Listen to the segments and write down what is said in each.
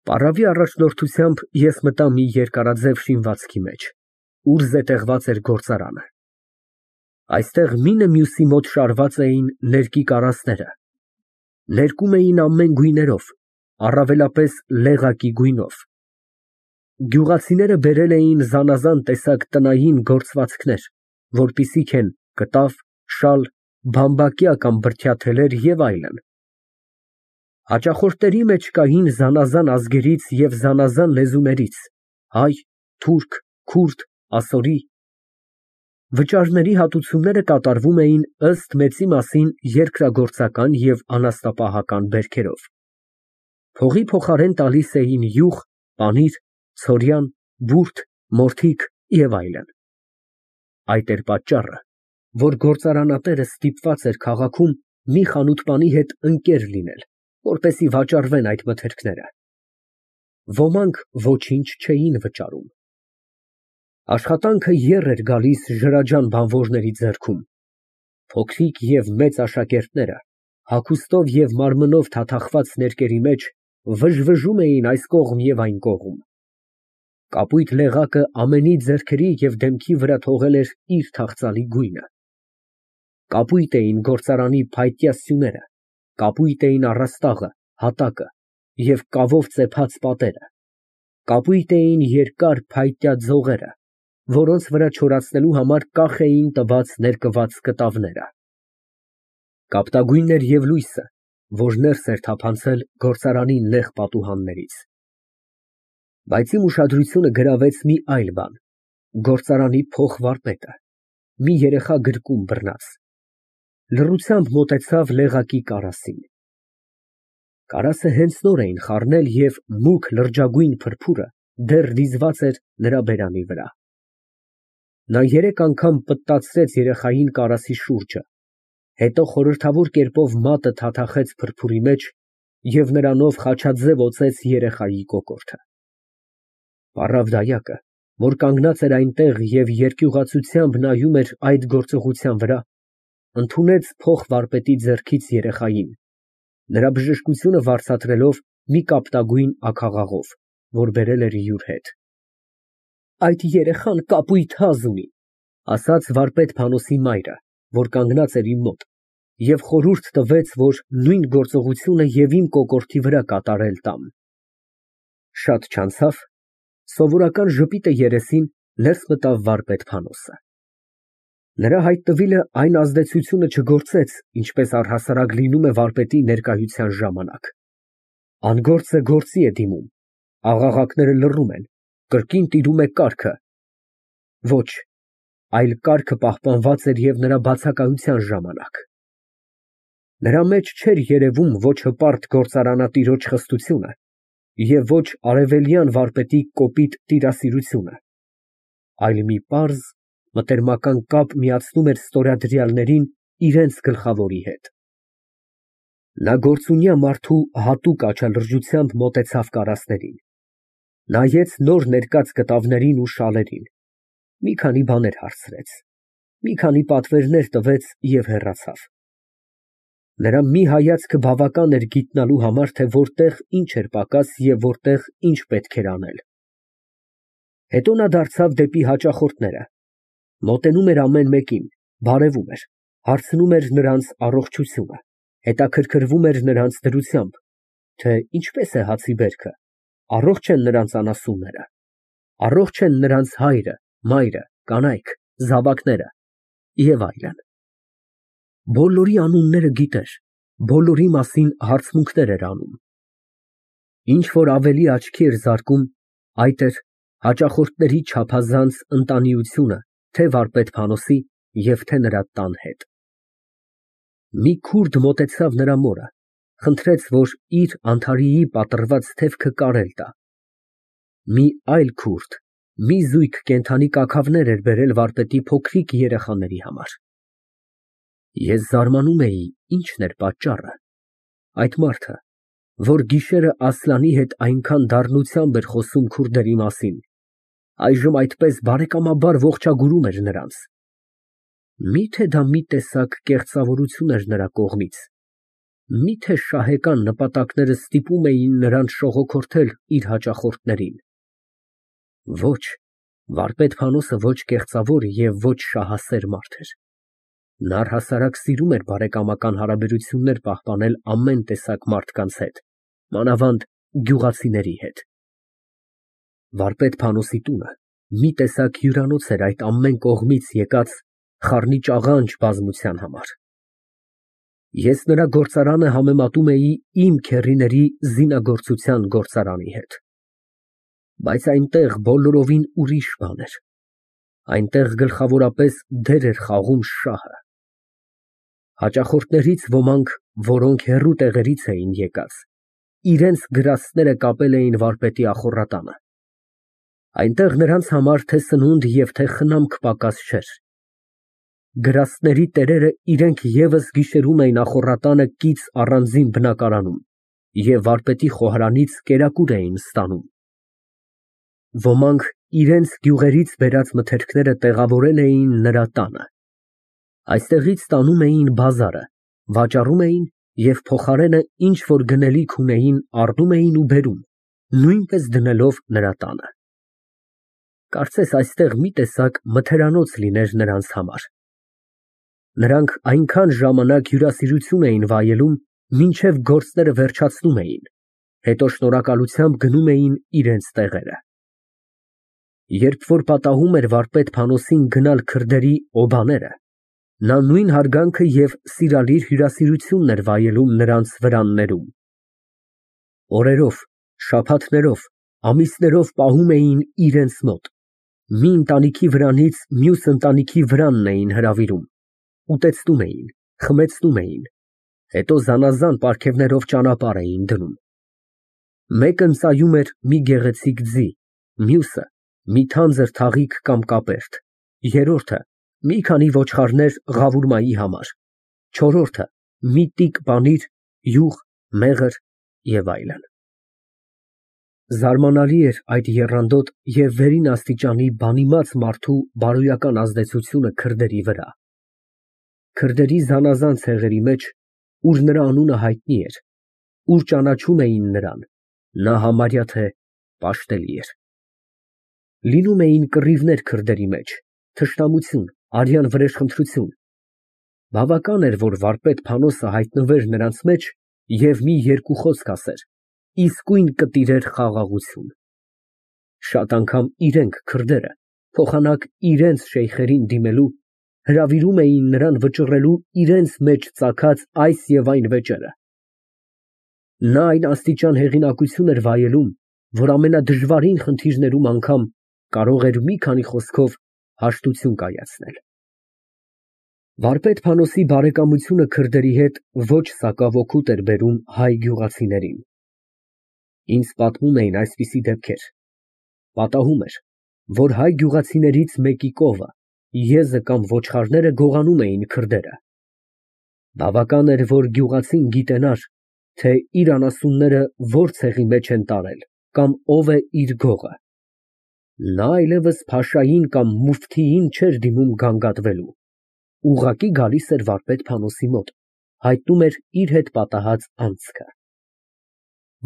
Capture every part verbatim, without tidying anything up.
Պարավի առաջնորդությամբ ես մտա մի երկարաձև շինվածքի մեջ, ուր զետեղված էր գործարանը. այստեղ մինը մյուսի մոտ շարված էին ներկի կարասները, ներկում էին ամեն գույներով, առավելապես լեղակի գույնով. գյուղացիները բերել էին զանազան տեսակ տնային գործվածքներ, որպիսիք են կտավ, շալ, բամբակյա կամ բրդյա թելեր և այլն. հաճախորդների մեջ կային զանազան ազգերից և զանազան լեզուներից, հայ, թուրք, քուրդ, ասորի. վճարների հատուցումները կատարվում էին ըստ մեծի մասին երկրագործական և անասնապահական բերքերով, փողի փոխարեն տալիս էին յուղ, պանիր, ցորյան, բուրդ, մորթիկ և այլն. այդ էր պատճառը, որ գործարանատերը ստիպված էր քաղաքում մի խանութպանի հետ ընկեր լինել, որպեսզի վաճառվեն այդ մթերքները. ոմանք ոչինչ չէին վճարում. աշխատանքը եռ էր գալիս ջրաջան բանվորների ձեռքում, փոքրիկ և մեծ աշակերտները, հագուստով և մարմնով թաթախված ներկերի մեջ, վժվժում էին այս կողմ և այն կողմ. կապույտ լեղակը ամենի ձեռքերի և դեմքի վրա թողել էր իր թախծալի գույնը. կապույտ էին գործարանի փայտյա սյուները, կապույտ էին առաստաղը, հատակը և կավով ծեփած պատերը, կապույտ էին երկար փայտյա ձողերը, որոնց վրա չորացնելու համար կախ էին տված ներկված կտավները. կապտագույնն էր և լույսը, որ ներս էր թափանցել գործարանի նեղ պատուհաններից. բայց իմ ուշադրությունը գրավեց մի այլ բան. գործարանի փոխվարպետը, մի երեխա գրկում բռնած, լռությամբ մոտեցավ լեղակի կարասին. կարասը հենց նոր էին խառնել և մուգ լրջագույն փրփուրը դեռ դիզված էր նրա բերանի վրա. նա երեք անգամ պտտացրեց երեխային կարասի շուրջը, հետո խորհրդավոր կերպով մատը թաթախեց փրփուրի մեջ և նրանով խաչաձև օծեց երեխայի կոկորդը. պառավ դայակը, որ կանգնած էր այնտեղ և երկյուղացությամբ նայում էր այդ գործողության վրա, ընդունեց փոխվարպետի ձեռքից երեխային, նրա բժշկությունը վարձատրելով մի կապտագույն աքաղաղով, որ բերել էր յուր հետ. այդ երեխան կապույտ հազ ունի, ասաց վարպետ Փանոսի մայրը, որ կանգնած էր իմ մոտ, և խորհուրդ տվեց, որ նույն գործողությունը և իմ կոկորդի վրա կատարել տամ. շատ չանցավ, սովորական ժպիտը երեսին, ներս մտավ վարպետ Փանոսը. նրա հայտնվիլը այն ազդեցությունը չգործեց, ինչպես առհասարակ լինում է վարպետի ներկայության ժամանակ. անգործը գործի է դիմում, աղաղակները լռում են, կրկին տիրում է կառքը, ոչ, այլ կառքը պահպանված էր և նրա բացակայության ժամանակ. նրա մեջ չէր երևում ոչ հպարտ գործարանատիրոջ խստությունը և ոչ արևելյան վարպետի կոպիտ տիրասիրությունը, այլ մի պարզ, մտերմական կապ միացնում էր ստորադրյալներին իրենց գլխավորի հետ. նա գործունյա մարդու հատուկ աչալրջությամբ մոտեցավ կարասներին, նայեց նոր ներկած կտավներին ու շալերին, մի քանի բաներ հարցրեց, մի քանի պատվերներ տվեց և հեռացավ. նրա մի հայացքը բավական էր գիտնալու համար, թե որտեղ ինչ էր պակաս և որտեղ ինչ պետք էր անել. հետո նա դարձավ դեպի հաճախորդները, մոտենում էր ամեն մեկին, բարևում էր, հարցնում էր նրանց առողջությունը, հետաքրքրվում էր նրանց դրությամբ, թե ինչպես է հացի բերքը, առողջ են նրանց անասունները, առողջ են նրանց հայրը, մայրը, կանայք, զավակները և այլն. բոլորի անունները գիտեր, բոլորի մասին հարցմունքներ էր անում. ինչ որ ավելի աչքի էր զարկում, այդ էր հաճախորդների չափազանց ընտանիությունը թե վարպետ Փանոսի և թե նրա տան հետ. մի քուրդ մոտեցավ նրա մորը, խնդրեց, որ իր Անթարիի պատռված թևքը կարել տա. մի այլ քուրդ մի զույգ կենդանի կաքավներ էր բերել վարպետի փոքրիկ երեխաների համար. ես զարմանում էի, ինչն էր պատճառը. այդ մարդը, որ գիշերը Ասլանի հետ այնքան դառնությամբ էր խոսում քուրդերի մասին, այժմ այդպես բարեկամաբար ողջագուրում էր նրանց. մի՞թե դա մի տեսակ կեղծավորություն էր նրա կողմից։ Միթե շահեկան նպատակները ստիպում էին նրան շողոքորթել իր հաճախորդներին։ Ոչ, վարպետ Փանոսը ոչ կեղծավոր և ոչ շահասեր մարդ էր։ Նա առհասարակ սիրում էր բարեկամական հարաբերություններ պահպանել ամեն տեսակ մարդկանց հետ, մանավանդ գյուղացիների հետ։ Վարպետ Փանոսի տունը մի տեսակ հյուրանոց էր այդ ամեն կողմից եկած խառնիճաղանճ բազմության համար։ Ես նրա գործարանը համեմատում էի իմ քեռիների զինագործության գործարանի հետ։ Բայց այնտեղ բոլորովին ուրիշ բան էր։ Այնտեղ գլխավորապես դեր էր խաղում շահը։ Հաճախորդներից ոմանք, որոնք հեռու տեղերից էին եկած, իրենց գրաստները կապել էին վարպետի ախոռատանը։ Այնտեղ նրանց համար թե սնունդ և թե խնամք պակաս չէր։ Գրաստների տերերը իրենք ևս գիշերում էին ախոռատանը կից առանձին բնակարանում և վարպետի խոհարանից կերակուր էին ստանում։ Ոմանք իրենց գյուղերից բերած մթերքները տեղավորել էին նրա տանը։ Այստեղից տանում էին բազարը, վաճառում էին և փոխարենը ինչ որ գնելիք ունեին առնում էին ու բերում, նույնպես դնելով նրա տանը։ Կարծես այստեղ մի տեսակ մթերանոց լիներ նրանց համար։ Նրանք այնքան ժամանակ հյուրասիրություն էին վայելում, մինչև գործները վերջացնում էին, հետո շնորհակալությամբ գնում էին իրենց տեղերը։ Երբ որ պատահում էր վարպետ Փանոսին գնալ քրդերի օբաները, նա նույն հարգանքը և սիրալիր հյուրասիրությունն էր վայելում նրանց վրաններում։ Օրերով, շաբաթներով, ամիսներով պահում էին իրենց մոտ, մի ընտանիքի վրանից մյուս ընտանիքի վրանն էին հրավիրում, ուտեցնում էին, խմեցնում էին, հետո զանազան պարգևներով ճանապարհ էին դնում։ Մեկը ծայում էր մի գեղեցիկ ձի, մյուսը մի թանձր թաղիկ կամ կապերտ, երրորդը մի քանի ոչխարներ ղավուրմայի համար, չորրորդը մի տիկ պանիր, յուղ, մեղր և այլն։ Զարմանալի էր այդ եռանդոտ և վերին աստիճանի բանիմաց մարդու բարոյական ազդեցությունը քրդերի վրա։ Քրդերի զանազան ցեղերի մեջ, ուր նրա անունը հայտնի էր, ուր ճանաչում էին նրան, նա համարյա թե պաշտելի էր։ Լինում էին կռիվներ քրդերի մեջ, թշնամություն, արյան վրեժխնդրություն։ Բավական էր, որ վարպետ Փանոսը հայտնվեր նրանց մեջ և մի երկու խոսք ասեր, իսկույն կտիրեր խաղաղություն։ Շատ անգամ իրենք, քրդերը, փոխանակ իրենց շեյխերին դիմելու, հրավիրում էին նրան վճռելու իրենց մեջ ծագած այս և այն վեճերը։ Նա այն աստիճան հեղինակություն էր վայելում, որ ամենադժվարին խնդիրներում անգամ կարող էր մի քանի խոսքով հաշտություն կայացնել։ Վարպետ Փանոսի բարեկամությունը քրդերի հետ ոչ սակավօգուտ էր բերում հայ գյուղացիներին։ Ինձ պատմում էին այսպիսի դեպքեր. պատահում էր, որ հայ գյուղացիներից մեկի կովը, եզը կամ ոչխարները գողանում էին քրդերը։ Բավական էր, որ գյուղացին գիտենար, թե իր անասունները որ ցեղի մեջ են տարել կամ ով է իր գողը։ Նա այլևս փաշային կամ մուֆթիին չէր դիմում գանգատվելու, ուղղակի գալիս էր վարպետ Փանոսի մոտ, հայտնում էր իր հետ պատահած անցքը։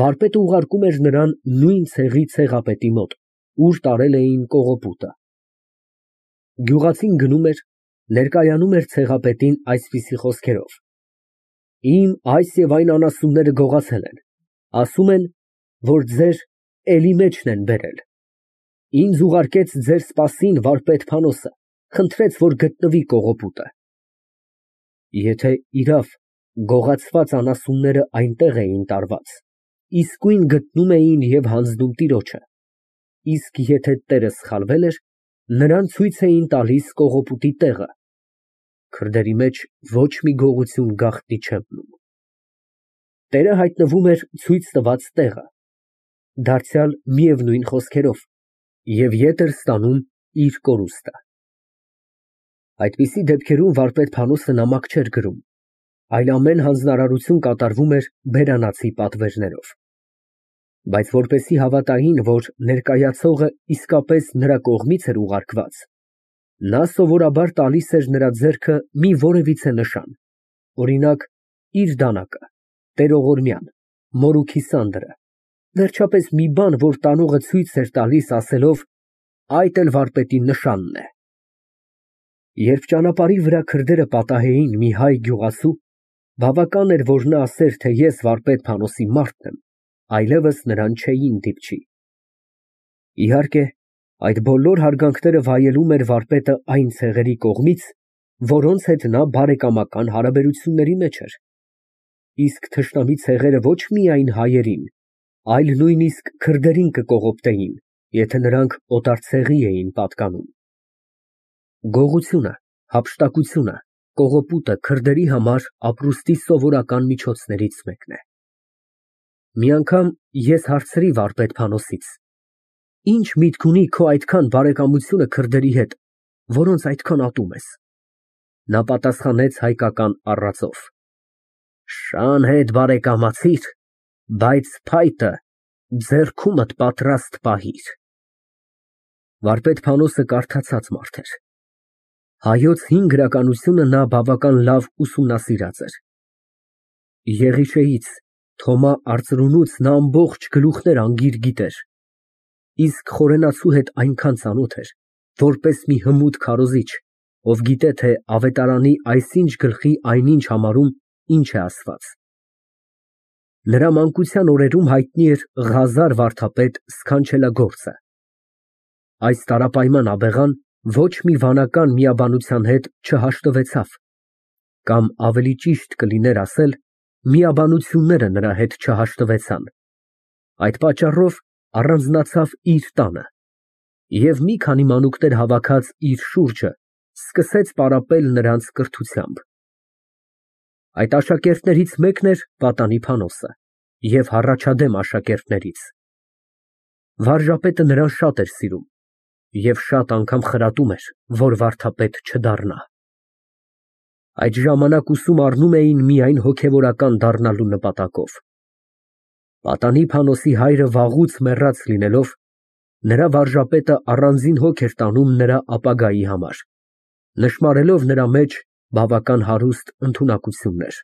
Վարպետը ուղարկում էր նրան նույն ցեղի ցեղապետի մոտ, ուր տարել էին կողոպուտը։ Գյուղացին գնում էր, ներկայանում էր ցեղապետին այսպիսի խոսքերով. Իմ այս և այն անասունները գողացել են, ասում են, որ ձեր էլի մեջն են բերել։ Ինձ ուղարկեց ձեր սպասին վարպետ Փանոսը, խնդրեց, որ գտնվի կողոպուտը։ Եթե իրավ գողացված անասունները այնտեղ էին տարված, իսկույն գտնում էին և հանձնում տիրոջը, իսկ եթե տերը սխալվել էր, նրան ցույց էին տալիս կողոպուտի տեղը։ Քրդերի մեջ ոչ մի գողություն գաղտնի չէ մնում։ Տերը հայտնվում էր ցույց տված տեղը, դարձյալ միևնույն խոսքերով, և ետ էր ստանում իր կորուստը։ Այդպիսի դեպքերում վարպետ Փանոսը նամակ չէր գրում, այլ ամեն հանձնարարություն կատարվում էր բերանացի պատվերներով։ Բայց որպեսզի հավատային, որ ներկայացողը իսկապես նրա կողմից էր ուղարկված, նա սովորաբար տալիս էր նրա ձեռքը մի որևիցե նշան, օրինակ, իր դանակը, Տերողորմյան, մորուքի սանդրը, վերջապես մի բան, որ տանողը ցույց էր տալիս, ասելով. այդ էլ վարպետի նշանն է։ Երբ ճանապարհի վրա քրդերը պատահեին մի հայ գյուղացու, բավական էր, որ նա ասեր, թե ես վարպետ Փանոսի մարդն եմ, այլևս նրան չէին դիպչի։ Իհարկե, այդ բոլոր հարգանքները վայելում էր վարպետը այն ցեղերի կողմից, որոնց հետ նա բարեկամական հարաբերությունների մեջ էր։ Իսկ թշնամի ցեղերը ոչ միայն հայերին, այլ նույնիսկ քրդերին կկողոպտեին, եթե նրանք օտար ցեղի էին պատկանում։ Գողությունը, հափշտակությունը, կողոպուտը քրդերի համար ապրուստի սովորական միջոցներից մեկն է։ Մի անգամ ես հարցրի վարպետ Փանոսից. Ինչ միտք ունի քո այդքան բարեկամությունը քրդերի հետ, որոնց այդքան ատում ես։ Նա պատասխանեց հայկական առածով. Շան հետ բարեկամացիր, բայց փայտը ձեռքումդ պատրաստ պահիր։ Վարպետ Փանոսը կարդացած մարդ էր։ Հայոց հին գրականությունը նա բավական լավ ուսումնասիրած էր։ Եղիշեից, Թոմա Արծրունուց նա ամբողջ գլուխներ անգիր գիտեր, իսկ խորենացու հետ այնքան ծանոթ էր, որպես մի հմուտ քարոզիչ, ով գիտե, թե ավետարանի այսինչ գլխի այնինչ համարում ինչ է ասված։ Նրա մանկության օրերում հայտնի էր Ղազար վարդապետ սքանչելագործը։ Այս տարապայման աբեղան ոչ մի վանական միաբանության հետ չհաշտվեցավ, կամ ավելի ճիշտ կլիներ ասել, միաբանությունները նրա հետ չհաշտվեցան։ Այդ պատճառով առանձնացավ իր տանը և մի քանի մանուկներ հավաքած իր շուրջը սկսեց պարապել նրանց կրթությամբ։ Այդ աշակերտներից մեկն էր պատանի Փանոսը և հառաջադեմ աշակերտներից։ Վարժապետը նրան շատ էր սիրում և շատ անգամ խրատում էր, որ վարդապետ չդառնա։ Այդ ժամանակ ուսում առնում էին միայն հոգևորական դառնալու նպատակով։ Պատանի Փանոսի հայրը վաղուց մեռած լինելով, նրա վարժապետը առանձին հոգ էր տանում նրա ապագայի համար, նշմարելով նրա մեջ բավական հարուստ ընդունակություններ։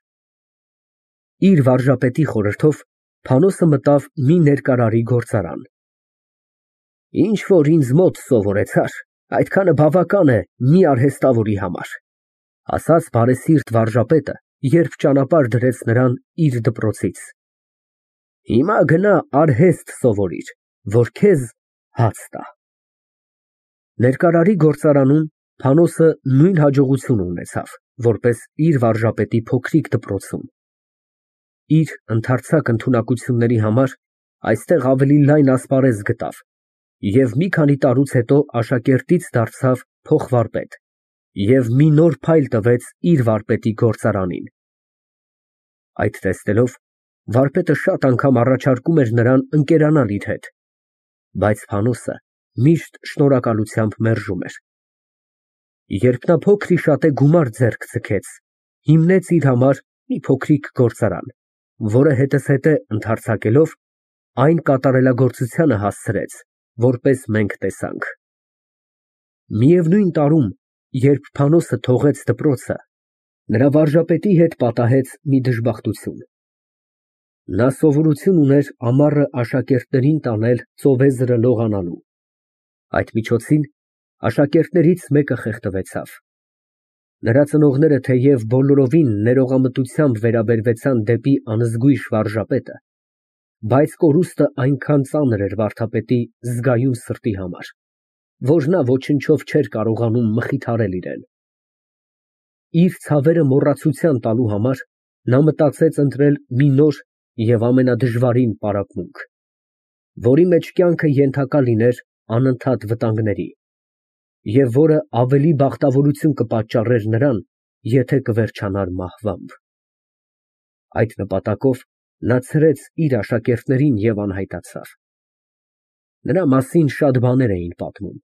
Իր վարժապետի խորհրդով Փանոսը մտավ մի ներկարարի գործարան։ Ինչ որ ինձ մոտ սովորեցար, այդքանը բավական է մի արհեստավորի համար, ասաց բարեսիրտ վարժապետը, երբ ճանապարհ դրեց նրան իր դպրոցից։ Հիմա գնա արհեստ սովորիր, որ քեզ հաց տա։ Ներկարարի գործարանում Փանոսը նույն հաջողությունը ունեցավ, որպես իր վարժապետի փոքրիկ դպրոցում։ Իր ընդարձակ ընդունակությունների համար այստեղ ավելի լայն ասպարեզ գտավ և մի քանի տարուց հետո աշակերտից դարձավ փոխվարպետ և մի նոր փայլ տվեց իր վարպետի գործարանին։ Այդ տեսնելով, վարպետը շատ անգամ առաջարկում էր նրան ընկերանալ իր հետ, բայց Փանոսը միշտ շնորհակալությամբ մերժում էր։ Երբ նա փոքր-ի-շատե գումար ձեռք ձգեց, հիմնեց իր համար մի փոքրիկ գործարան, որը հետզհետե ընդարձակելով, այն կատարելագործությանը հասցրեց, որպես մենք տեսանք։ Միևնույն տարում, երբ Փանոսը թողեց դպրոցը, նրա վարժապետի հետ պատահեց մի դժբախտություն։ Նա սովորություն ուներ ամառը աշակերտներին տանել ծովեզրը լողանալու։ Այդ միջոցին աշակերտներից մեկը խեղդվեցավ։ Նրա ծնողները թեև բոլորովին ներողամտությամբ վերաբերվեցան դեպի անզգույշ վարժապետը, բայց կորուստը այնքան ծանր էր վարդապետի զգայուն սրտի համար, որ նա ոչնչով չէր կարողանում մխիթարել իրեն։ Իր ցավերը մոռացության տալու համար նա մտածեց ընտրել մի նոր և ամենադժվարին պարապմունք, որի մեջ կյանքը ենթակա լիներ անընդհատ վտանգների, և որը ավելի բախտավորություն կպատճառեր նրան, եթե կվերջանար մահվամբ։ Այդ նպատակով նա ցրեց իր աշակերտներին և անհայտացավ։ Նրա մասին շատ բաներ էին պատմում։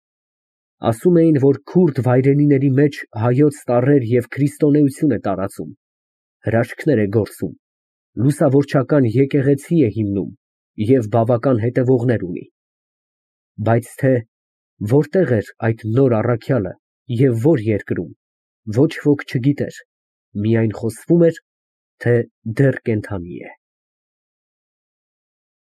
Ասում էին, որ քուրդ վայրենիների մեջ հայոց տառեր և քրիստոնեություն է տարածում, հրաշքներ է գործում, լուսավորչական եկեղեցի է հիմնում և բավական հետևողներ ունի։ Բայց թե որտեղ էր այդ նոր առաքյալը և որ երկրում, ոչ ոք չգիտեր, միայն խոսվում էր, թե դեռ կենդանի է։